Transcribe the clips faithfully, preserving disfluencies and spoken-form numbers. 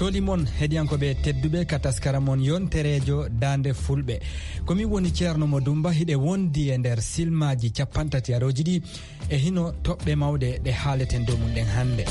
Limon heɗiyankoɓe tedduɓe ka taskara mon yonterejo Dande Fulɓe. Ko min woni Ceerno Mo Dumba, hiɗe wondi e nder silmaji capanɗe tati arooji ɗi e hino toɓɓe mawɗe ɗe haaleten dow mum ɗen hannde.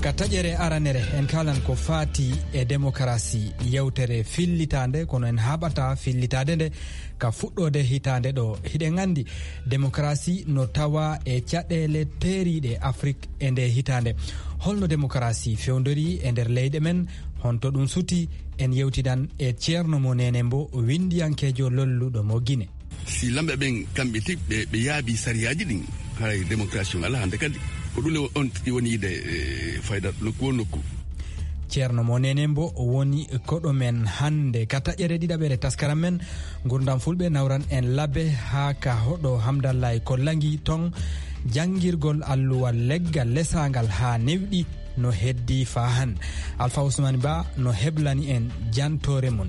Ka taƴere aranere, en kalan ko faati e demokarasi, yewtere fillitaande, kono en haɓata fillitaade nde ka fuɗɗoode hitaande ɗo. Hiɗen anndi demokarasi no tawa e caɗeele teeriiɗe Afrik e nde hitaande. Holno demokarasi fewndori e nder leyɗe men? Honto ɗum suti? En yewtidan e Ceerno Mo Nene Mbo, winndiyankeejo lolluɗo mo Gine. Si lamɓe ɓen kamɓe tigi ɓe, ɓe yaabi sariyaaji ɗin, haray démocratie on alaa hannde kadi. Ko ɗum le on tigi woni yiide, e, fayda nokku o nokku. Ceerno Mo Nene Mbo woni koɗo men hannde ka taƴere ɗiɗaɓere taskaram men. Ngurdam Fulɓe nawran en labe haa ka hoɗo Hamdallaay Kollangi ton, janngirgol alluwal leggal lesaangal haa newɗi no heddi faa han. Alfa Usmani Ba no heblani en jantoore mum.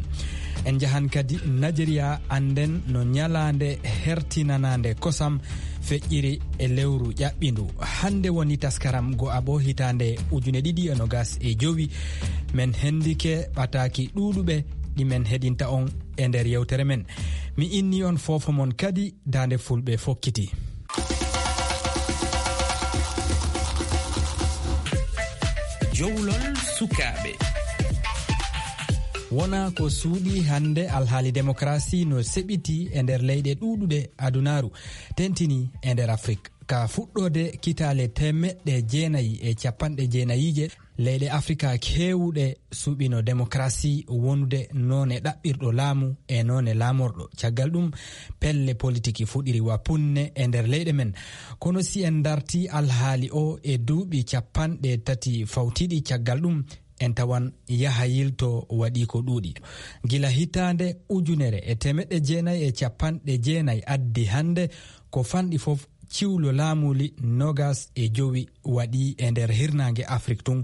En njahan kadi Najeriya, annden no ñalaande hertinanaande kosam feƴƴiri e lewru ƴaɓɓindu. Hannde woni taskaram go'aɓo hitaande ujune ɗiɗi e nogas e jowi. Men hendike ɓataaki ɗuuɗuɓe ɗi men heɗinta on e nder yewtere men. Mi inni on foofo mon kadi Daande Fulɓe fokkiti. Jowlol sukaaɓe. Wona ko suuɗi hannde, alhaali demokarasi no seɓiti e nder leyɗe ɗuuɗuɗe adunaaru, tentini e nder Afrik. Ka fuɗɗoode kitaale teemeɗɗe jeenayi e capanɗe jeenayiije, leyɗe Afrika keewuɗe suɓino demokarasi wonude noone ɗaɓɓirɗo laamu e noone laamorɗo. Caggal ɗum, pelle politiki fuɗiri wa punne e nder leyɗe men. Kono si en darti alhaali o e duuɓi capanɗe tati fawtiɗi caggal ɗum, en tawan yaha yilto waɗi ko ɗuuɗi. Gila hitaande ujunere e teemeɗɗe jeenayi e capanɗe jeenayi addi hannde, ko fanɗi fof ciwlo laamuli nogas e jowi waɗi e nder hirnaange Afrik tun.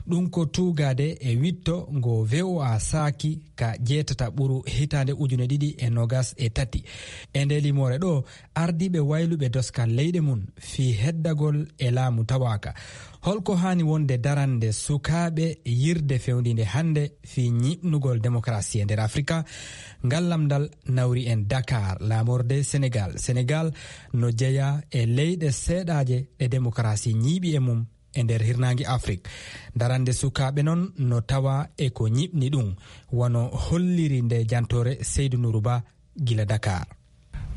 Ɗum ko tuugaade e witto ngo V O A saaki ka jeetata ɓuru hitaande ujune ɗiɗi e nogas e tati. E nde limoore ɗo, ardiiɓe wayluɓe doskal leyɗe mum fii heddagol e laamu tawaaka. Holko haani wonde darande sukaaɓe yirde fewndinde hannde fii ñiiɓnugol demokarasi e nder Afrika? Ngal lamndal nawri en Dakar, laamorde Senegal. Senegal no jeyaa e leyɗe seeɗaaje ɗe demokarasi ñiiɓi e mum e nder hirnaange Afrik. Darande sukaaɓe non no tawa e ko ñiiɓni ɗum, wano holliri nde jantoore Seydou Nourou Ba gila Dakar.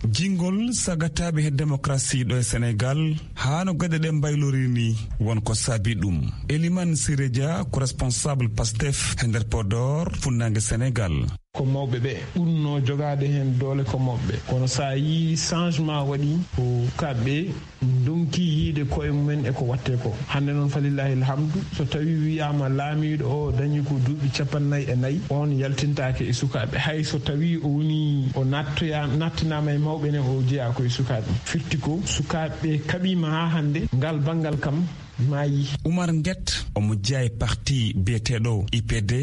Jingol sagataaɓe he demokarasi ɗo e Senegal, haa no geɗe ɗe mbaylori ni, won ko saabi ɗum. Elimane Siré Dia ko responsable Pastef he nder Podor, funnaange Senegal. Ko mawɓe ɓe ɓurnoo jogaade heen doole ko mawɓe. Kono so a yii changement waɗi ko kamɓe ndonki yiide koye mumen e ko waɗtee ko. Hannde noon, falillahi alhamdu, so tawii wiyaama laamiiɗo o dañi ko duuɓi cappannayi e nayi, oon yaltintaake e sukaaɓe. Hay so tawii o woni, o nattoya-, nattinaama e mawɓe ne, o jeyaa ko e sukaaɓe. Firti ko sukaaɓe kaɓiima haa hannde, ngal banngal kam maayi. Oumar Nguet, omo jeyaa e parti biyeteeɗo I P D,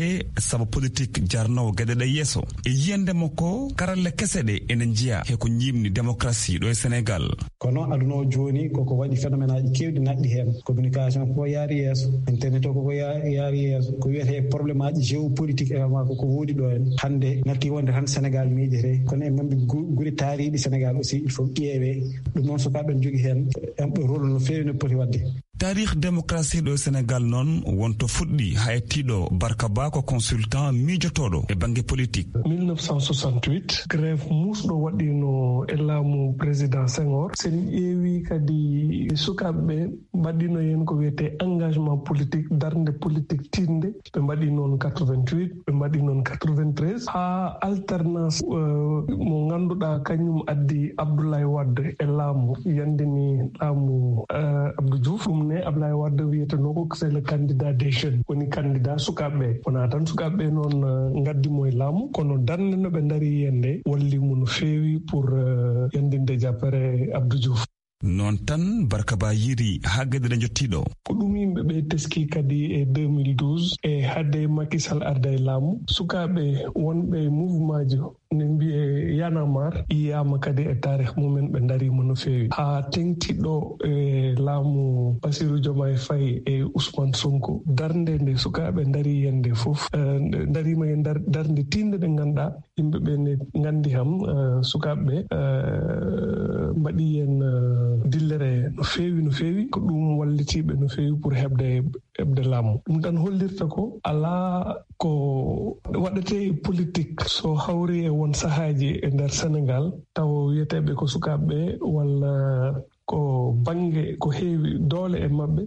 sabu politik jarnoowo geɗe ɗe yeeso. E yiyannde makko, karalle kese ɗe ene njiya he ko ñiiɓni demokarasi ɗo e Senegal. Kono aduna o jooni koko waɗi phénomène aji keewɗi naatɗi heen. Communication koko yaari yeeso, internet o koko ya-, yaari yeeso. Ko wiyetee problème aji géopolitique également koko woodi ɗo en. Hannde natti wonde tan Senegal miijete. Kono e mambi gu-, gure taariiɗi Senegal aussi, il faut ƴeewee. Ɗum noon sukaaɓe en njogii heen, en ɗo rôle no feewi no poti waɗde. Taarih demokarasi ɗo e Senegal noon wonto fuɗɗi haa e tiiɗo Barka Ba ko consultant miijotooɗo e bannge politik. Mille neuf cent soixante-huit, grève muusɗo waɗiino e laamu président Senghor. So en ƴeewi kadi sukaaɓe ɓe mbaɗiino heen ko wiyetee engagement politique, darnde politique tiiɗnde. Ɓe mbaɗi noon quatre-vingt-huit, ɓe mbaɗi noon quatre-vingt-treize. Haa alternance, euh, mo ngannduɗaa kañum addi Abdoulaye Wade e laamu, yanndini laamu, euh, Abdou Diouf. Ɗum ne Abdoulaye Wade wiyetenoo ko c'est le candidat des jeunes, woni candidat sukaaɓe ɓe. Wonaa tan sukaaɓe ɓe noon, euh, ngaddi mo e laamu, kono darnde no ɓe ndarii heen nde walli mo no feewi pour, euh, yanndinde jappere Abdou Diouf. Noon tan, Barka Ba yiiri haa geɗe ɗe njottii ɗo. Ko ɗum yimɓe ɓe teskii kadi e deux mille douze, e hade Macky Sall arda e laamu, sukaaɓe wonɓe e mouvement ji Ne mbiyee Y'en a marre, yiyaama kadi e taarih mumen, ɓe ndariima no feewi. Haa teŋti ɗo e laamu Bassirou Diomaye Faye e Ousmane Sonko, darnde nde sukaaɓe ndarii heen nde fof, eh, nde ndariima e ndar-, darnde tiiɗnde nde ngannduɗaa yimɓe ɓe ne nganndi kam, eh, sukaaɓe ɓe, eh, mbaɗii heen, eh, dillere no feewi, no feewi. Ko ɗum wallitiiɓe no feewi pour heɓde heɓde laamu. Ɗum tan hollirta ko alaa ko waɗetee e politik so hawri e won sahaaji e nder Senegaal, tawa wiyeteeɓe ko sukaaɓe ɓe walla ko bannge ko heewi doole e maɓɓe,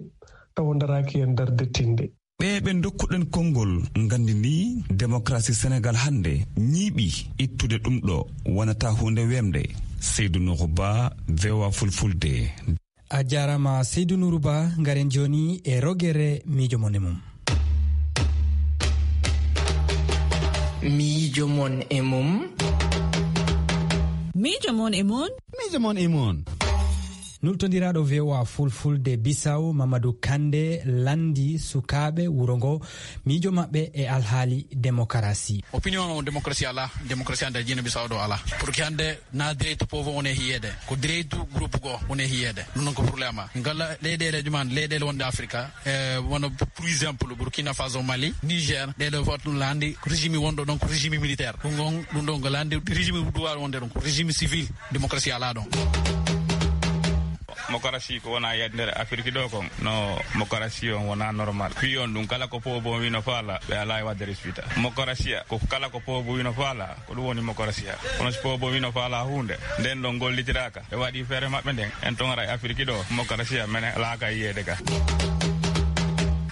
tawa ndaraaki heen darnde tiiɗnde. Ɓe ɓe ndokkuɗen konngol nganndi ni, démocratie Senegaal hannde ñiiɓi, ittude ɗum ɗo wonata huunde weemde. Seydou Nourou Ba, V O A Fulfulde. A jaaraama, Seydou Nourou Ba. Ngaren jooni e rogere miijo mon e mum. Miijo mon e mum. Miijo mon e mum. Miijo mon e mum. Nultondiraaɗo V O A Fulfulde Bisaw, Mamadou Kande, lanndi sukaaɓe wuro ngo, miijo maɓɓe e alhaali demokarasi. Opinion o, démocratie alaa, démocratie hannde Guinée Bissau ɗo alaa. Pour que hannde na direct pouvoir woni e yiyeede, ko direct groupe goo woni e yiyeede. Ɗum noon ko problème. Ngala leyɗeele ɗuman, leyɗeele wonɗe Afrika, e wano, par exemple, Burkina Faso, Mali, Niger, ɗeɗo fof ɗum lanndi ko régime wonɗo ɗon, ko régime militaire. Ɗum on, ɗum ɗon ko lanndi régime duwaaɗo wonde ɗon, ko régime civil, démocratie alaa ɗon. Mokarasi ko wona yiyde nder Afirki ɗo kon. No mokarasi on wona normal. Fii on ɗum kala ko poobo wino faala, ɓe alaa e waɗde respita. Mokarasiya ko kala ko poobo wino faala, ko ɗum woni mokarasiya. Kono si poobo wino faala huunde, nden ɗon gollitiraaka, ɓe waɗi feere maɓɓe nden, en ton ara e Afirki ɗo, mokarasiya mene alaaka yiyeede ka.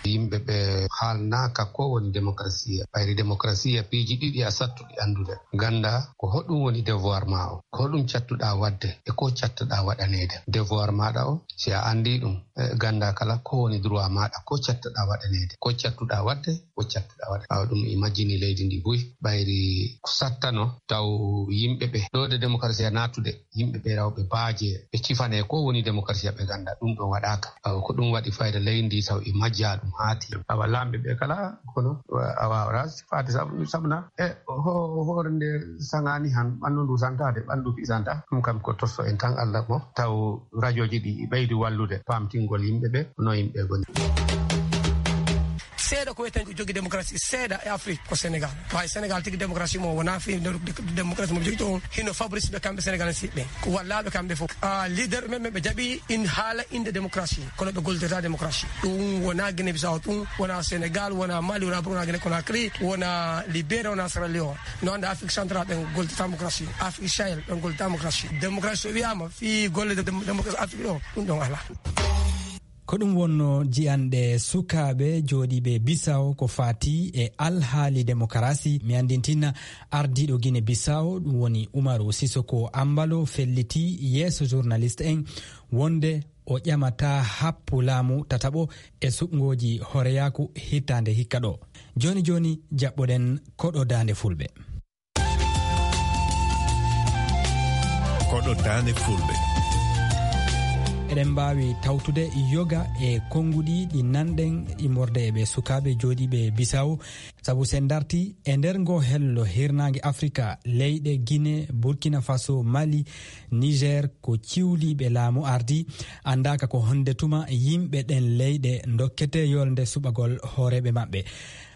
Yimɓe ɓe haalnaaka ko woni démocratie. Ɓayri démocratie, piiji ɗiɗi a sattuɗi anndude. Gannda ko hoɗum woni devoir ma o, ko hoɗum cattuɗaa waɗde e ko cattuɗaa waɗaneede. Devoir maaɗa o, si a anndii ɗum, eh, gannda kala ko woni droit maaɗa, ko cattuɗaa waɗaneede, ko cattuɗaa waɗde, ko cattuɗaa waɗa. Awa ɗum i majjini leydi ndi buy. Ɓayri ko sattano taw yimɓe ɓe ɗo de démocratie a naatude, yimɓe ɓe raw ɓe baaje, ɓe cifane ko woni démocratie, ɓe gannda ɗum ɗon waɗaaka. Awa ko ɗum waɗi fayda leydi ndi taw i majja ɗum haati. Awa laamɓe ɓe kala kono, awa, awa, faati sabu, sabu na e ho-, hoore nde saŋaani han, ɓanndu ndu santaade, ɓanndu fi santa. Ɗum kam ko tosso en tan Allah mo taw rajooji ɗi ɓeydi wallude paamtingol yimɓe ɓe no yimɓe ngoni. Seeɗa ko wiyeten ko jogi démocratie seeɗa e Afrique ko Sénégal. Hay Sénégal tigi démocratie mo wona fi démocratie mo jogi toon hino Fabrice ɓe kamɓe Sénégal en siɓɓe. Ko wallaaɓe kamɓe fof. Ah, leader men, men ɓe jaɓi in haala innde démocratie, kono ɓe gollirta démocratie. Ɗum wona Guinée Bissau, ɗum wona Sénégal, wona Mali, wona Burkina, wona Guinée Conakry, wona Libéria, wona Sierra Leone. No annda Afrique centrale ɓen gollirta démocratie. Afrique Sahel ɓen gollirta démocratie. Démocratie so wiyaama fii golle de-, dem-, démocratie Afrique ɗo, ɗum ɗon alaa. Ko ɗum wonno jiyanɗe sukaaɓe jooɗiiɓe Bissau ko faati e alhaali demokarasi. Mi anndintina ardiiɗo Guinée Bissau, ɗum woni Umaru Sissoco Embalo, felliti yeeso journaliste en wonde o ƴamata happu laamu tataɓo e suɓngooji hooreyaaku hitaande hikka ɗo. Jooni jooni jaɓɓoɗen koɗo daande fulɓe. Koɗo daande fulɓe. Eɗen mbaawi tawtude yoga e konnguɗi ɗi nanɗen immorde e ɓe sukaaɓe jooɗiiɓe Bissau. Sabu sen darti e nder ngo hello hirnaange Afrika, leyɗe Guinée, Burkina Faso, Mali, Niger ko ciwliiɓe laamu ardi, anndaaka ko honde tuma yimɓe ɗen leyɗe ndokkete yolnde suɓagol hooreeɓe maɓɓe.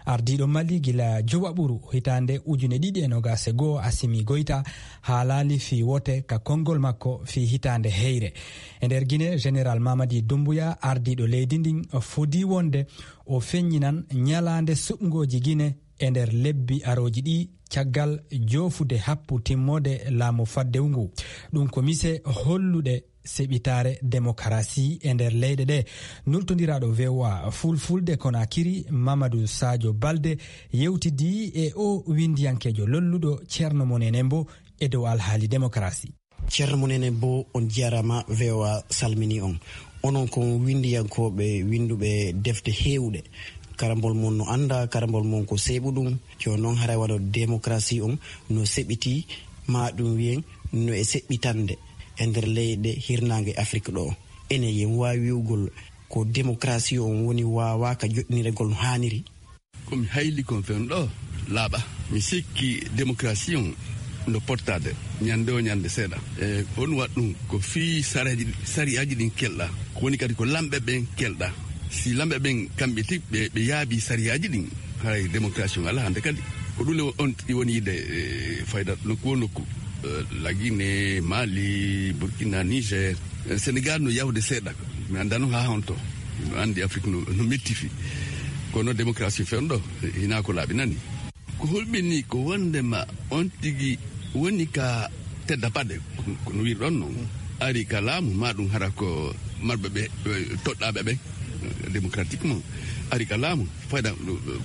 Ardiiɗo Mali gila jowaɓuru hitaande ujune ɗiɗi e nogas e goo, Assimi Goïta, haalaali fii wote ka konngol makko fii hitaande heyre. E nder Guinée, Général Mamadi Doumbouya, ardiiɗo leydi ndin, fodii wonde o feññinan ñalaande suɓngooji Guinée e nder lebbi arooji ɗi, caggal joofude happu timmoode laamu faddewu ngu. Ɗum ko mise holluɗe seɓitaare demokarasi e nder leyɗe ɗe. Nultondiraaɗo V O A Fulfulde Konakiri, Mamadou Sadio Balde, yewtidii e o winndiyankeejo lolluɗo Ceerno Moon Ene Mbo e dow alhaali demokarasi. Ceerno Moon Ene Mbo, on jaraama, V O A salmini on. Onon kon winndiyankooɓe winnduɓe defte heewuɗe. Karambol mon no annda, karambol mon ko seeɓuɗum. Jooni noon haray wano demokarasi on no seɓitii, ma ɗum wiyen no e seɓɓitande e nder leyɗe hirnaange Afrik ɗo. Enen yen waawi wi'ugol ko demokarasi on woni waawaaka joɗɗiniregol no haaniri? Ko mi hayli kon fen ɗo laaɓa. Mi sikki demokarasi on No pottaade ñande o ñande seeɗa. E on waɗ ɗum ko fii sariyaaji ɗin kelɗa, ko woni kadi ko lamɓe ɓen kelɗa. Si lamɓe ɓen kamɓe tigi ɓe ɓe yaabi sariyaaji ɗin, haray démocratie on alaa hannde kadi. Ko ɗum le on tigi woni yiɗde fayda nokku o nokku. Lagine, Mali, Burkina, Niger. Sénégal no yawde seeɗa. Mi anndano haa honto. Mi anndi Afrique no metti fii, kono démocratie fewndo hinaa ko laaɓi nani. Ko hulɓinii ko wonndema on tigi woni ka tedda paɗe, ko no wirɗon non, ari ka laamu, maa ɗum hara ko marɓe ɓe toɗɗaaɓe ɓen, démocratiquement, ari ka laamu. Fayda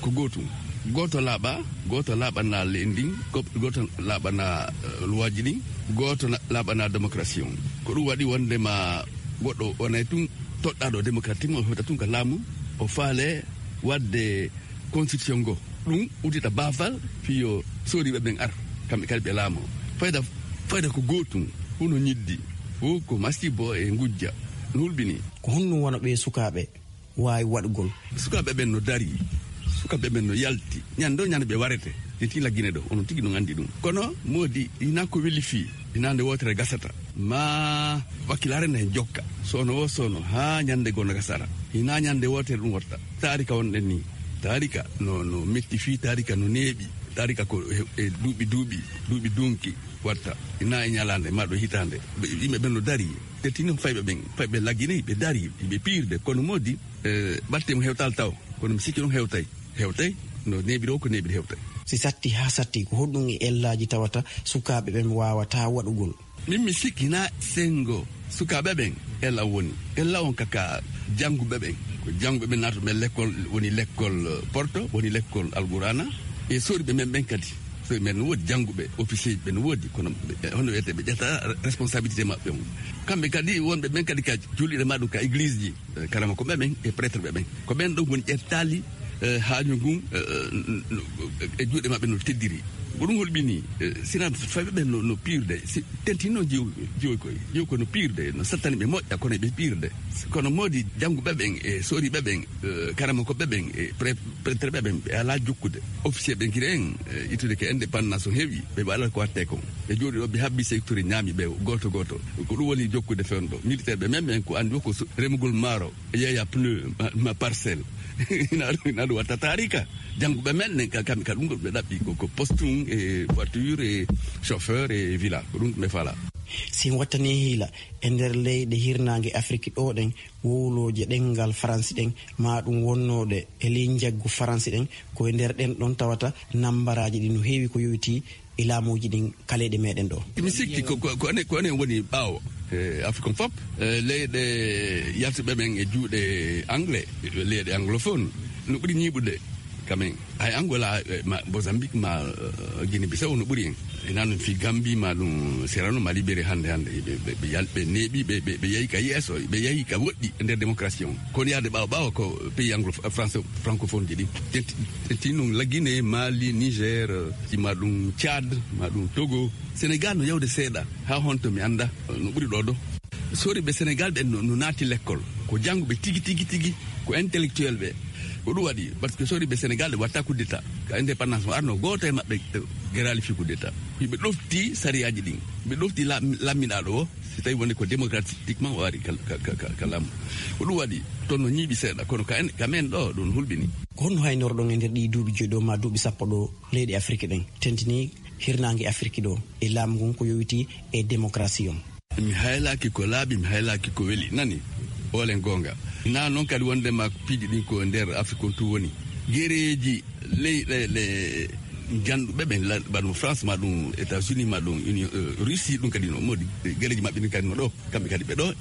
ko gootum. Gooto laaɓa, gooto laaɓana leydi ndin, gooto laaɓana luwaaji ɗin, gooto laaɓana démocratie on. Ko ɗum waɗi wonndema goɗɗo wonay tun toɗɗaaɗo démocratiquement, o hewta tun ka laamu, o faale waɗde constitution ngo. Ɗum uddita baafal fii yo sooriiɓe ɓen ar, kamɓe kadi ɓe laamoo. Fayda, fayda ko gootum, huno ñiddi, fof ko masibo e ngujja. No hulɓinii. Ko honɗum wano ɓee sukaaɓe waawi waɗugol? Sukaaɓe ɓen no darii, sukaaɓe ɓen no yalti. Ñande o ñande ɓe warete. Ɓe tigi Lagine ɗo, onon tigi no anndi ɗum. Kono moodi, hinaa ko weli fii, hinaa nde wootere gasata. Ma wakkilaare ne jokka, soono o soono, haa ñande goo no gasara. Hinaa ñande wootere ɗum watta. Taarika wonɗen nii. Taarika no, no metti fii, taarika no neeɓi. Taarika ko e, e duuɓi, duuɓi, duuɓi dunki watta. Hinaa e ñalaande, maa ɗo hitaande. Ɓe, yimɓe ɓen no darii. Te tinno fayɓe ɓen, fayɓe Lagine, ɓe darii, ɓe piirde. Kono moodi, e, ɓatte mo hewtaali taw. Kono mi sikki ɗum hewtay. Hewtay, no neeɓiri o ko neeɓiri hewtay. Si satti haa satti, ko honɗum e ellaaji tawata sukaaɓe ɓen waawataa waɗugol? Min mi sikki na senngo sukaaɓe ɓen ella woni. Ella on ka, ka jannguɓe ɓen. Ko jannguɓe ɓen naatuɓe lekkol, woni lekkol, eh, Porto, woni lekkol Alqur'aana. E sooriiɓe men ɓen kadi. Sooriiɓe men no woodi jannguɓe, officier ɓe no woodi, kono ɓe, hono wiyetee, ɓe ƴetta responsabilité maɓɓe on. Kamɓe kadi wonɓe ɓen kadi ka julirde ma ɗum ka église ji. Eh, karamokooɓe ɓen e prêtre ɓe ɓen. Ko ɓen ɗon woni ƴettaali, eh, haaju ngun, eh, n-, n-, e juuɗe maɓɓe no teddiri. Ko ɗum hulɓinii, eh, sinaa fayɓe ɓen no, no piirde, si tentinno jiw-, jiwoy koy. Jiwoy koy no piirde, no sattani ɓe moƴƴa, kono ɓe piirde. Kono moodi jannguɓe ɓen e sooriiɓe ɓen, eh, karamokooɓe ɓen e pre-, prêtre ɓe ɓen, ɓe alaa jokkude. Officier ɓen kiri en, eh, ittude ke indépendance o heewi, ɓe waɗata ko wattee kon. Ɓe jooɗi ɗo, ɓe habbi secteur, ñaami ɓe gooto gooto. Ko ɗum woni jokkude fewndo. Militaire ɓe men, men ko anndi ko so-, remugol maaro, yeeya pneu, ma, ma parcelle. Ina ɗum, ina ɗum watta taarika. Jannguɓe men nen ka, kamɓe ka ɗum ɗo ɓe ɗaɓɓi ko, ko postum e voiture e chauffeur e villa. Ko ɗum ɓe fala. Si en wattanii hiila, e nder leyɗe hirnaange Afiriki ɗo ɗen, wowlooje ɗemngal Faransi ɗen, maa ɗum wonnooɗe e ley njaggu Faransi ɗen, ko e nder ɗen ɗon tawata nambaraaji ɗin no heewi ko yowitii e laamuuji ɗin ka leyɗe meɗen ɗo. Mi sikki ko, ko, ko enen, ko enen woni ɓaawo, e Afrique on fop, e leyɗe yaltuɓe ɓen e juuɗe anglais, leyɗe anglophone, no ɓuri ñiiɓude quand même. Hay Angola, e, ma Mozambique, ma, e, Guinée Bissau no ɓuri en. Ina noon fii Gambie, ma ɗum Sierra Leone, ma Libéria hannde, hannde. Ɓe, ɓe, ɓe yal-, ɓe neeɓi, ɓe, ɓe, ɓe yahi ka yeeso, ɓe yahi ka woɗɗi e nder démocratie on. Kono yaade ɓaawo ɓaawo ko pays anglo-, France, francophone ji ɗi. Tenti, tenti noon Lagine, Mali, Niger, e, ma ɗum Tchad, ma ɗum Togo. Sénégal no yawde seeɗa, haa honto mi annda, e, no ɓuri ɗo ɗo. Sooriiɓe Sénégal ɓen no, no naati lekkol. Ko jannguɓe tigi, tigi, tigi, ko intellectuel ɓe. Ko ɗum waɗi, parce que sooriiɓe Sénégal ɓe watta coup d'état. Ka indépendance mo arno, gooto e maɓɓe, e, geraali fii coup d'état. Ɓe ɗofti sariyaaji ɗin. Ɓe ɗofti la-, lamminaaɗo o, si tawi wonde ko démocratiquement o ari ka, ka, ka, ka, ka laamu. Ko ɗum waɗi, toon no ñiiɓi seeɗa, kono ka en, ka men ɗo, ɗum hulɓini. Ko honno haynorɗon e nder ɗii duuɓi joyi ɗo, ma duuɓi sappo ɗo, leyɗe Afiriki ɗen, tentini hirnaange Afiriki ɗo, e laamu ngun ko yowitii e démocratie on? Mi haylaaki ko laaɓi, mi haylaaki ko weli. Nani? Hoolen goonga. Naa noon kadi wondema piiji ɗin ko nder Afiriki on tun woni. Gereeji leyɗeele njanɗuɓe ɓen, la-, mbaɗa ɗum France, ma ɗum États-Unis, ma ɗum Union, eh, Russie, ɗum kadi no modi. Gereeji maɓɓe ɗin kadi no ɗo. Kamɓe kadi ɓe ɗo.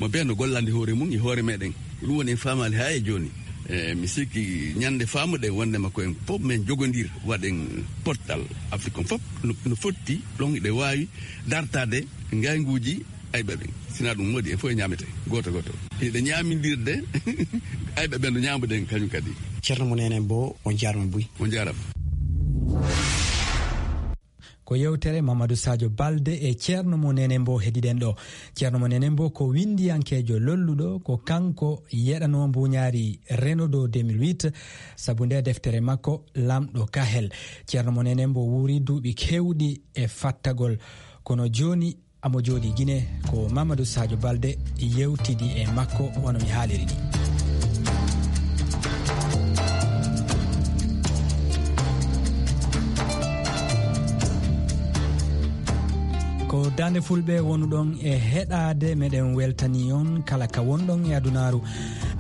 Mo ɓe no gollande hoore mum e hoore meɗen. Ɗum woni en faamaali haa e jooni. Eh, mi sikki ñande faamuɗen wondema ko en fof men jogondir, waɗen pottal Afiriki on fof no, no fotti ɗon, ɗe waawi dartaade ngaynguuji ayɓe ɓen. Sinaa ɗum, moodi en fof e ñaamete gooto gooto. Hiɗe ñaamindirde ayɓe ɓen no ñaamuɗen kañum kadi. Ceerno mo Neene Bo, on jaarama buy. On jaarama. Ko yewtere Mamadou Sadio Balde e Ceerno mo Nene Mbo heɗiɗen ɗo. Ceerno mo Nene Mbo ko winndiyankeejo lolluɗo, ko kanko yeɗanoo mbuuñaari Renaudot deux mille huit, sabu nde deftere makko Laamɗo Kahel. Ceerno mo Nene Mbo wuuri duuɓi keewɗi e fattagol, kono jooni amo jooɗii Gine. Ko Mamadou Sadio Balde yewtidi e makko wano mi haaliri ni. Ko Daande Fulɓe wonuɗon e heɗaade, meɗen weltani on kala ka wonɗon e adunaaru.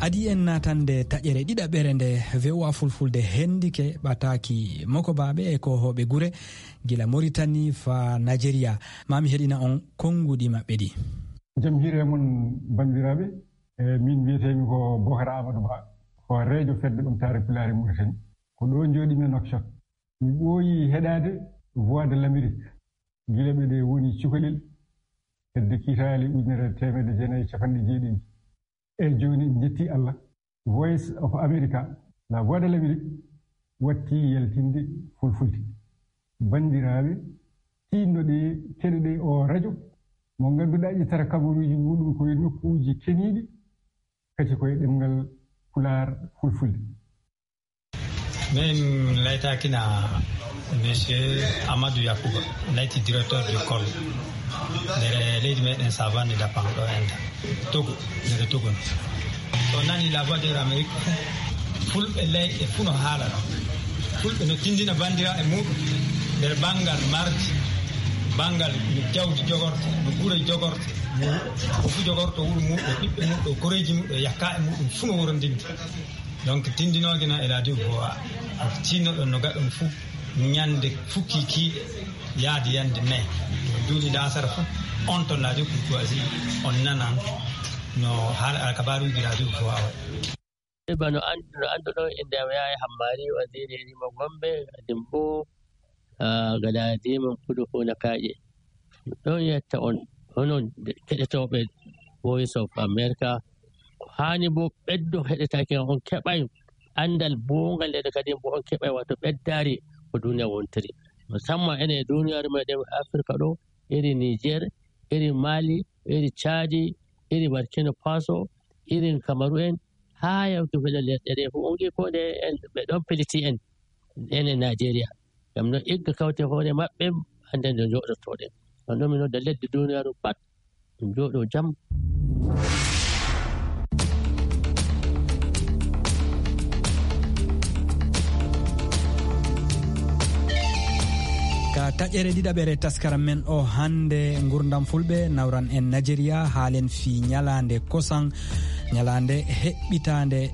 Adii en naatande taƴere ɗiɗaɓere nde V O A Fulfulde hendike ɓataaki mokobaaɓe e kohooɓe gure, gila Moritani faa Najeriya. Maa mi heɗina on konnguɗi maɓɓe ɗi. Jam hiire mon, banndiraaɓe. E, min wiyetee-mi ko Bokar Amadou Ba, hooreejo Fedde Ɓamtaare Pulaar e Mauritanie. Ko ɗo njooɗii-mi e Nouakchott. Mi ɓooyi heɗaade Voix de l'Amérique gila ɓe ɗe woni cukalel, hedde kiitaali ujunere e teemedde jeenayi e capanɗe jeeɗiɗi. E jooni en njetti Allah. Voice of America, La Voix de l'Amérique, watti yaltinde Fulfulde. Banndiraaɓe, tiinno-ɗee, keɗo-ɗee o rajo mo ngannduɗaa ƴettata kabaruuji muɗum ko e nokkuuji keniiɗi, kadi ko e ɗemngal Pulaar, Fulfulde. Min laytaakina Monsieur Amadou Yakuba, layti directeur d'école nder leydi meɗen Savane Dapan ɗo Inde. Togo, nder Togo no. So nani La Voix de l'Amérique, Fulɓe leyɗe fuu no haala ɗo. Fulɓe no tindina banndiraaɓe muɗum nder banngal mardi, banngal no jawdi jogorte, no gure jogorte, no ko fuu jogorto wuro muɗum, ɓiɓɓe muɗum, koreeji muɗum, yakka e muɗum fuu no worondinta. Donc, tindinooge noon e radio Voix, tinnoɗon no gaɗon fuu, ñande fukki kiiɗe yaade yande nayi, duuɗi laasara fuu, on ton radio Courtoisie, on nanan no haala alkabaaruuji radio Voix o. Bano an-, no annduɗon, innde am Yahaya Hammari, waziri e rimo Gombe, Dimbo, ah, Galadima, Kudu, Funa, Kaaƴe. Ɗon yetta on, onon keɗotooɓe Voice of America, ko haani bo ɓeddo heɗetaake on keɓay anndal boongal, nden kadi bo on keɓay wato ɓeddaari ko duniya wontiri. Musamman enen e duniyaaru meɗen Afirka ɗo, iri Niger, iri Mali, iri Chadi, iri Burkina Faso, iri Kamaru en, haa yawti fele lesɗe ɗe fof. On ngi ko nde en, ɓe ɗon peliti en, enen Nigeria. Ngam no igga kawte hoore maɓɓe, hannde nde njooɗotoɗen. Ɗon ɗon mi nodda leddi duniyaaru pat, ɗum jooɗo jam. Ka taƴere ɗiɗaɓere taskaram men o hannde, ngurndam Fulɓe, nawran en Nigeria, haalen fii ñalaande kosan, ñalaande heɓɓitaande,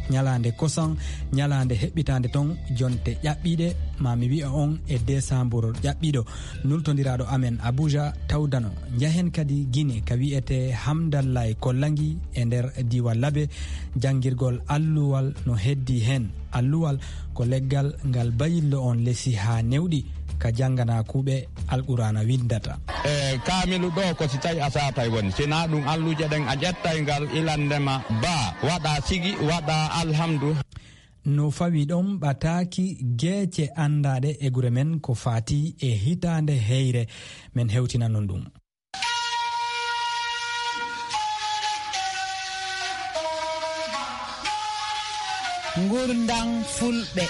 ñalaande kosan, ñalaande heɓɓitaande ton jonte ƴaɓɓiiɗe, maa mi wi'a on e desaambur ƴaɓɓiiɗo. Nultondiraaɗo amen Abuja tawdano. Njahen kadi Gine ka wi'etee Hamdallaay Kollangi e nder diiwal Labe, janngirgol alluwal no heddii heen. Alluwal ko leggal ngal bayillo on lesi haa newɗi ka jannganaa kuuɓe Alqur'aana winndata. E kaamilu ɗo ko si tawi a saatay woni, si naa ɗum alluuje ɗen a ƴettay ngal ilandema baa, waɗa sigi, waɗa alhamdu. No fawi ɗon ɓataaki geece anndaaɗe e gure men ko faati e hitaande heyre, men hewtina non ɗum. Ngurndam Fulɓe.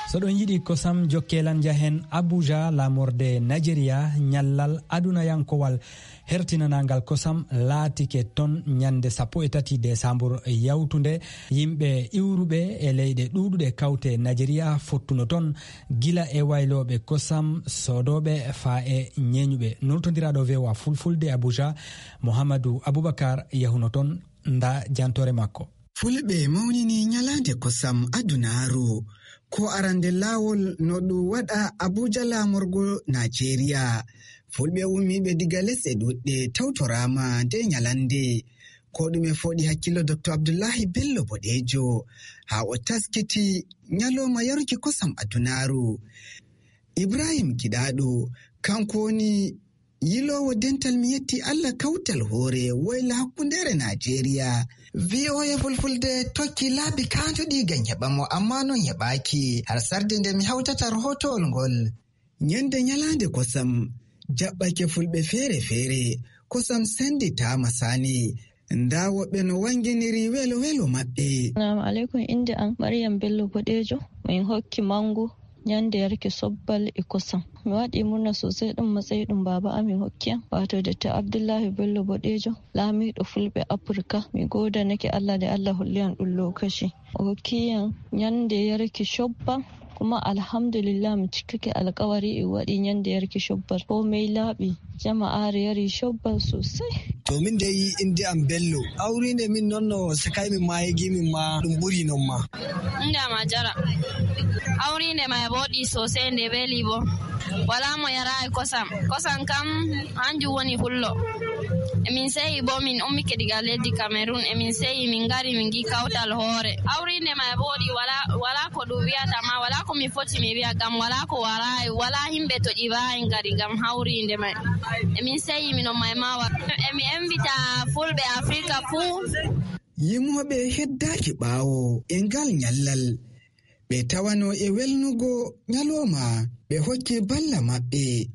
So ɗon yiɗi kosam, jokkee lan njahen Abuja, laamorde Nigeria, ñallal adunayankowal hertinanangal kosam laatike ton ñande sappo e tati desaambur yawtunde. Yimɓe iwruɓe e leyɗe ɗuuɗuɗe kawte Nigeria fottuno ton, gila e waylooɓe kosam, soodooɓe, faa e ñeeñuɓe. Nultondiraaɗo V O A Fulfulde Abuja, Mohammadu Abubakar, yahuno ton. Nda jantoore makko. Fulɓe mawnini ñalaande kosam adunaaru. Ko arande laawol no ɗum waɗa Abuja, laamorgo Nigeria. Fulɓe ummiiɓe diga lesɗe ɗuɗɗe tawtoraama nde ñalande. Ko ɗume fooɗi hakkillo Doktor Abdullahi Bello Boɗeejo haa o taskiti ñalooma yaruki kosam adunaaru? Ibrahim Giɗaaɗo, kanko woni Yiloowo dental, mi yetti Allah kawtal hoore woyla hakkundeere Naajeeriya. V O A Fulfulde tokki laabi kaanduɗi ngam heɓa mo, ammaa noon heɓaaki. Har sarde nde mi hawtata rahootowol ngol. Ñande ñalaande kosam jaɓɓake fulɓe feere-feere, kosam sennditaama saani. Ndaa woɓɓe no wannginiri welo-welo maɓɓe. Salaamu aleykum, innde am Maryam Bello Boɗeejo. Min hokki manngu ñande yarki sobbal e kosam. Mi waɗi murna sosai ɗum matsayi ɗum baaba amin hokki am, wato Dr. Abdullahi Bello Boɗeejo, laamiiɗo fulɓe Afirka. Mi goodanake Allah nde Allah holli am ɗum lokaci. O hokki am ñande yarki cobbal, kuma alhamdulillah mi cikkake alkawari e waɗi ñande yarki cobbal. Ko mey laaɓi, jama'aare yari cobbal sosai. To min dai inde am Bello, awrinde min noon no sakay min ma hegi min ma ɗum ɓuri noon ma. Inde am Hajara. Awrinde ma e booɗi sosai nde weli bo. Wala mo yaraay kosam. Kosam kam hanjum woni hullo. Emin seyi bo min ummike diga leddi Cameroon. Emin seyi min ngari min ngi kawtal hoore. Awrinde ma e booɗi wala, wala ko ɗum wiyata ma, wala ko mi foti mi wiya ngam wala ko waraay, wala himɓe to ɗi waawi ngari ngam hawrinde may. Emin seyi minon may mawa. Emi envita fulɓe Afrika fuu. Yimooɓe heddaaki ɓaawo e ngal ñallal. Ɓe tawano e welnugo ñalooma, ɓe hokki balla maɓɓe,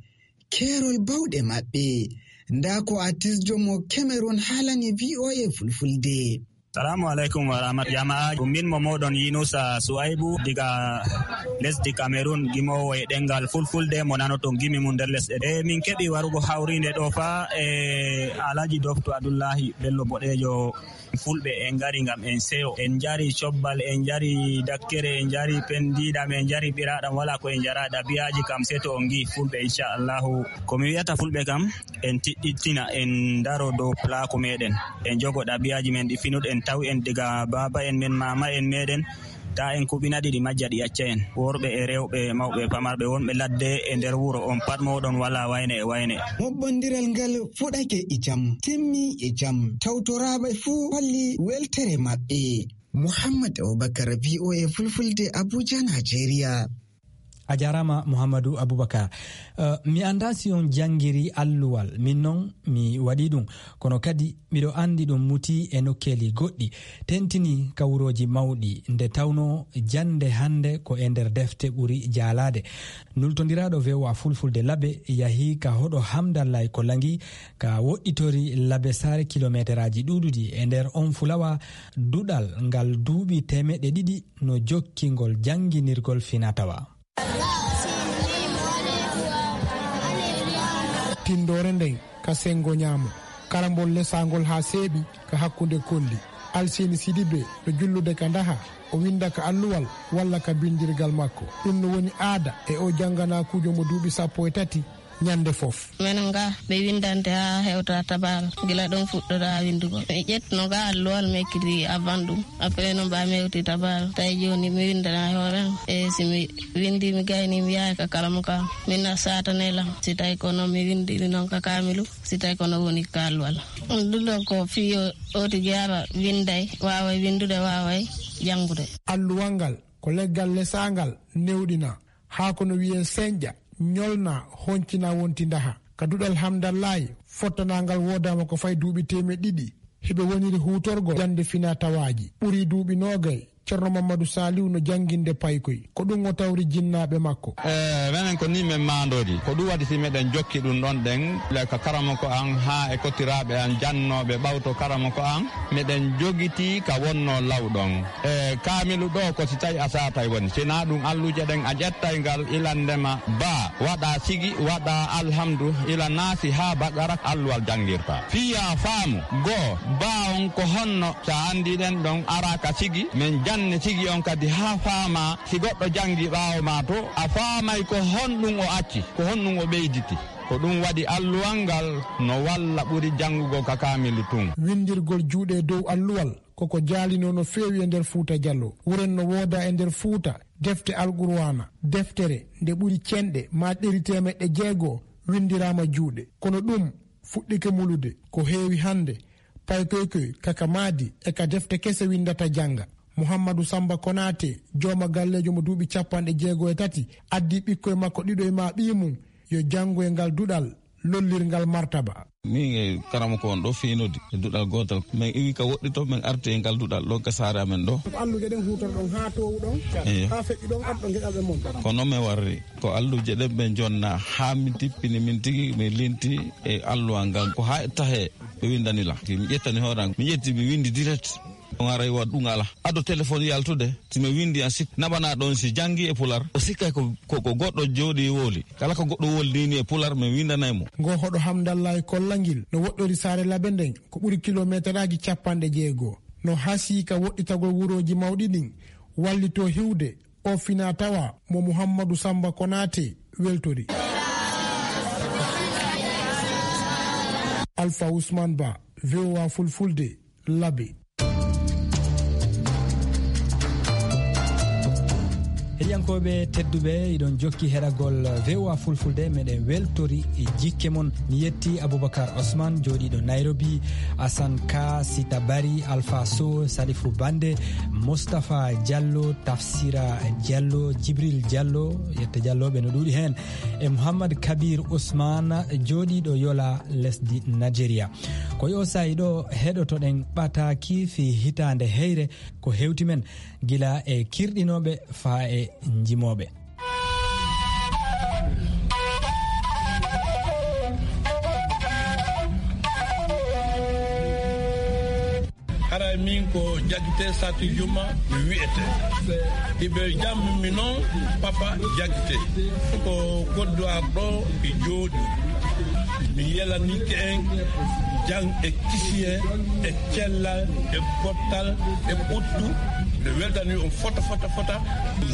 keerol bawɗe maɓɓe. Ndaa ko artisjo mo Cameroon haalani V O A Fulfulde. Salaamu aleykum wa rahmat-, jama'aaji. Ɗum min mo mooɗon Yunusa Suwaybu diga lesdi Cameroon, gimoowo e ɗemngal Fulfulde mo nanoton gimi mum nder lesɗe. E min keɓi warugo hawriinde ɗo fa e Alhaji Dofto Abdullahi Bello Boɗeejo. Fulɓe en ngari ngam en seyo. En njari cobbal, en njari dakkere, en njari pendiɗam, en njari ɓiraɗam, wala ko en njara. Ɗabi'aji kam seto on ngi fulɓe, inchallahu. Ko mi wi'ata fulɓe kam, en tiɗɗittina, en ndaro dow plaku meɗen. En jogo ɗabi'aji men ɗi finuɗen, tawi en diga baba en men, mama en meɗen. Ta en kuɓina ɗi, ɗi majja, ɗi acca en. Worɓe e rewɓe, mawɓe e pamarɓe, wonɓe ladde e nder wuro, on pat moɗon wala wayne e wayne. Moɓɓondiral ngal fuɗake e jam, timmi e jam. Tawtoraaɓe fuu holli weltere maɓɓe. Muhammad Abubakar, V O A Fulfulde, Abuja, Nigeria. A jaaraama, Muhammadu Abubakar. Eh, mi anndaa si on janngiri alluwal, min noon mi waɗi ɗum. Kono kadi miɗo anndi ɗum muti e nokkeeli goɗɗi, tentini ka wurooji mawɗi, nde tawnoo jannde hannde ko e nder defte ɓuri jaalaade. Nultondiraaɗo V O A Fulfulde Labe yahi ka hoɗo Hamdallaay Kollangi, ka woɗɗitori Labe Saare kilomeeteraaji ɗuuɗuɗi. E nder on fulawa, duɗal ngal duuɓi teemeɗɗe ɗiɗi no jokki ngol jannginirgol finaa-tawaa. Tinndoore nden ka senngo ñaamo, karambol lesaangol haa seeɓi ka hakkunde kolli. Alseni Sidibe no jullude ka ndaha, o winnda ka alluwal walla ka binndirgal makko. Ɗum no woni aada e o jannganaakuujo mo duuɓi sappo e tati ñannde fof. Menen ga ɓe winndante haa hewta tabaal, gila ɗon fuɗɗoraa winndugol. Mi ƴettuno ga alluwal, mi ekkiti avant ɗum. Après noon, ɓaa mi hewti tabaal, tawi jooni mi winndana e hoore am. E si mi winndi, mi gayni, mi yahay ka karamoka am. Min na saatane lam, si tawi ko noon mi winndiri noon ka kaamilu, si tawi ko noon woni ka alluwal. Ɗum ɗon ko fii o, o tigi ara winnday, waaway winndude, waaway janngude. Alluwal ngal ko leggal lesaangal newɗina, haa ko no wiyee senƴa, ñolna, honcina wonti ndaha. Ka duɗal Hamdallaay, fottanaangal woodaama ko fay duuɓi teemeɗɗe ɗiɗi. Hiɓe woniri huutorgol jannde finaa-tawaaji. Ɓuri duuɓi noogay, Ceerno Mammadu Saaliw no jannginde paykoy. Ko ɗum o tawri jinnaaɓe makko. E, menen ko nii men maandooji. Ko ɗum waɗi si meɗen jokki ɗum ɗon ɗen, le ka karamoko an haa e kotiraaɓe an jannooɓe ɓawto karamoko an, meɗen jogitii ka wonnoo law ɗon. E, kaamilu ɗo ko si tawi a saatay woni. Si naa ɗum alluje ɗen a ƴettay ngal ilandema baa, waɗa sigi, waɗa alhamdu, ila naasi haa baqara alluwal janngirta. Fiya faamu, goo, baa on ko honno, sa anndi ɗen ɗon, ara ka sigi, men janne sigi on kadi haa faama, si goɗɗo janngi ɓaawo ma to, a faamay ko honɗum o acci, ko honɗum o ɓeyditi. Ko ɗum waɗi alluwal ngal no walla ɓuri janngugol ka kaamilu tun. Winndirgol juuɗe dow alluwal, ko ko jaalinoo no feewi e nder Fuuta Jallo. Wuren no wooda e nder Fuuta, defte Alqur'aana, deftere nde ɓuri cenɗe maa ɗeri teemeɗɗe jeego winndiraama juuɗe. Kono ɗum fuɗɗike mulude. Ko heewi hannde, paykoykoy ka ka maadi e ka defte kese winndata jannga. Muhammadu Samba Konaate, jooma galleejo mo duuɓi cappanɗe jeego e tati, addi ɓikkoy makko ɗiɗo e maa ɓiy mum, yo janngu e ngal duɗal lollirngal martaba. Min e karamoko on ɗo feenodi e duɗal gootal. Min iwi ka woɗɗi to, min arti e ngal duɗal ɗo ka saare amen ɗo. Ko alluuje ɗen huutorɗon haa toowu ɗon, eyo, haa feƴƴi ɗon, arɗon geɗalɓe mon. Ko non min warri. Ko alluuje ɗen ɓe jonna haa min tippini min tigi, min linti e alluwal ngal. Ko haa e tahe ɓe windani lan. Mi ƴettani hoore am. Mi ƴetti, mi windi direct. On aray wa ɗum ala. Ado téléphone yaltude, si mi windi en sik-, naɓana ɗon si jangi e pular. O sikkay ko, ko, ko goɗɗo jooɗi woli. Kala ko goɗɗo woli ni e pular, mi windanay mo. Ngo hoɗo Hamdallahi Kollangil no woɗɗori saare Labe nden, ko ɓuri kilometeraaji capanɗe jeego. No hasii ka woɗɗitagol wurooji mawɗi ɗin, wallitoo hiwde, o fina tawa mo Muhammadu Samba Konaate weltori. Alpha Ousmane Ba, V O A Fulfulde, Labe. Heɗiyankooɓe tedduɓe, iɗon jokki heɗagol V O A Fulfulde, meɗen weltori e jikke mon. Mi yetti Aboubacar Osman, jooɗiiɗo Nairobi, Asan Ka, Sita Bari, Alpha Sow, Salifu Bande, Mustapha Diallo, Tafsira Diallo, Jibril Diallo, yette Diallo ɓe no ɗuuɗi heen, e Mouhammad Kabir Ousmane, jooɗiiɗo Yola, lesdi Nigeria. Ko yo saa'i ɗo heɗotoɗen ɓataaki fii hitaande heyre ko hewti men, gila e kirɗinooɓe faa e njimooɓe. Haray min ko Jagite Sati Juma mi wi'ete. Iɓe jammi mi non Papa Jagite. Ko Kodduwar ɗo e jooɗi. Mi yelanike en jam e kisiyee, e cellal, e pottal, e ɓuttu. Mi weltani on fota, fota, fota.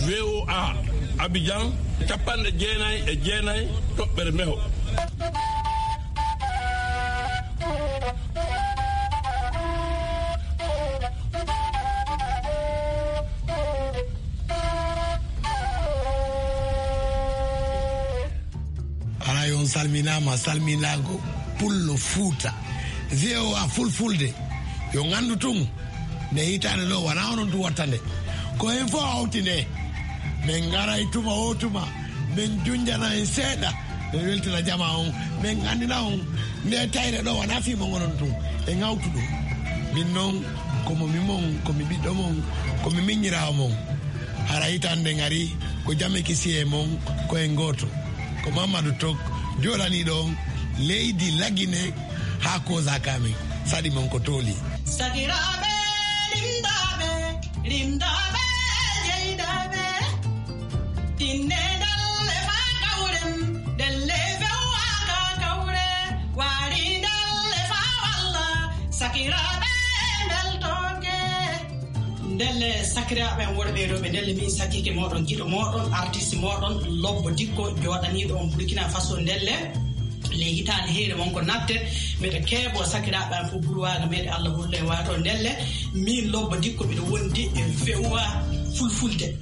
V O A Abidjan, capanɗe jeenay e jeenay toɓɓere meho. Haray on salminaama, salminaago Pullo Fuuta. V O A Fulfulde, yo nganndu tun, nde hitaande ɗo, wanaa onon tun watta nde. Ko en fof hawti nde. Men ngaray tuma o tuma, men junjana en seeɗa, men weltina jama on, men anndina on nde tayre ɗo wanaa fii mon onon tun. En hawtu ɗum. Min non, ko mo mi mon, ko mi ɓiɗɗo mon, ko mi miññiraawo mon. Hara hitaande ngari, ko jam e kisiyee mon, ko en gooto. Ko Mamadou Tok, jooɗaniiɗo on leydi Lagine haa Koza Kamin. Saɗi mon ko tooli. Sakiraaɓe, rimdaaɓe, rimdaaɓe, jeydaaɓe. Tinne ndelle faa kawren, ndelle fewwa ka kawre. Waari ndelle faa walla, sakiraaɓe, mbeltooke. Ndelle, sakiraaɓe am worɓe e rewɓe, ndelle min sakkike mooɗon, giɗo mooɗon, artiste mooɗon, Lobbo Dikko, jooɗaniiɗo on Burkina Faso. Ndelle, le hitaande heyre won ko natte, mbeɗa keeɓo sakiraaɓe am fof burwaaga meɗe Allah hollo e waato. Ndelle, min Lobbo Dikko mbiɗo wondi e V O A Fulfulde.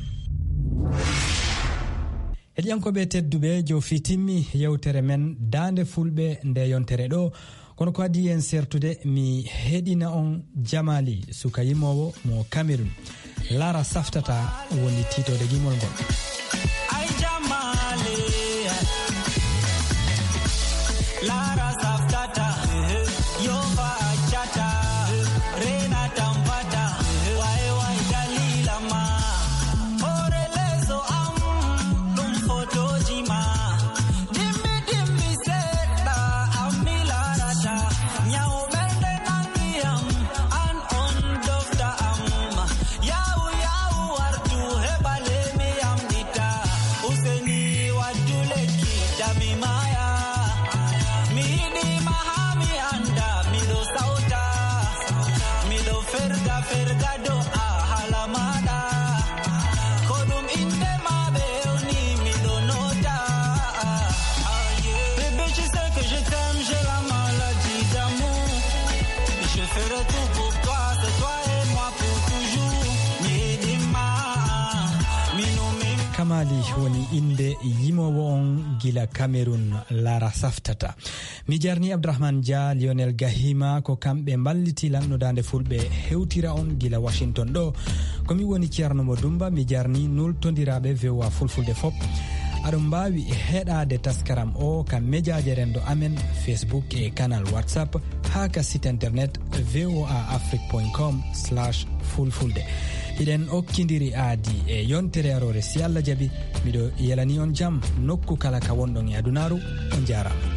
Heɗiyankooɓe tedduɓe, jofi timmi yewtere men Daande Fulɓe nde yontere ɗo. Kono ko adii en sertude, mi heɗina on Jamaali, suka yimoowo mo Cameroun. Laara saftata woni tiitoode gimol ngol. Ay Jamaali, Laara saftata, yo fa accata, reena tampata, way way dalila ma. Hoore leeso am, ɗum fotooji ma. Dimmi, dimmi seeɗa, am mi laarata. Ñaw ɓernde nangi am, an on dokta am. Yaw, yaw, wartu, heɓale mi yamɗita. Useni, waddu lekki, dami maya. Mi yiɗi ma haa mi annda, miɗo sawta. Miɗo ferga, ferga do'a hala maɗa. Ko ɗum innde ma ɓe ewni miɗo noota. Bébé, tu sais que je t'aime, j'ai la maladie d'amour. Je ferai tout pour toi, c'est toi et moi pour toujours. Mi yiɗi ma, mi numi. Kamali woni innde yimoowo on gila Cameroun, Laara saftata. Mi jarni Abdourahmane Dia, Lionel Gahima, ko kamɓe mballiti lan no Daande Fulɓe hewtira on gila Washington ɗo. Ko mi woni Ceerno Mo Dumba, mi jarni nultondiraaɓe V O A Fulfulde fop. Aɗon mbaawi heɗaade taskaram o ka mejaaje renndo amen, Facebook e kanal WhatsApp, haa ka site internet voa afrique point com slash fulfulde. Hiɗen okkindiri aadi e yontere aroore, si Allah jaɓi. Miɗo yelani on jam nokku kala ka wonɗon e adunaaru. On njaaraama.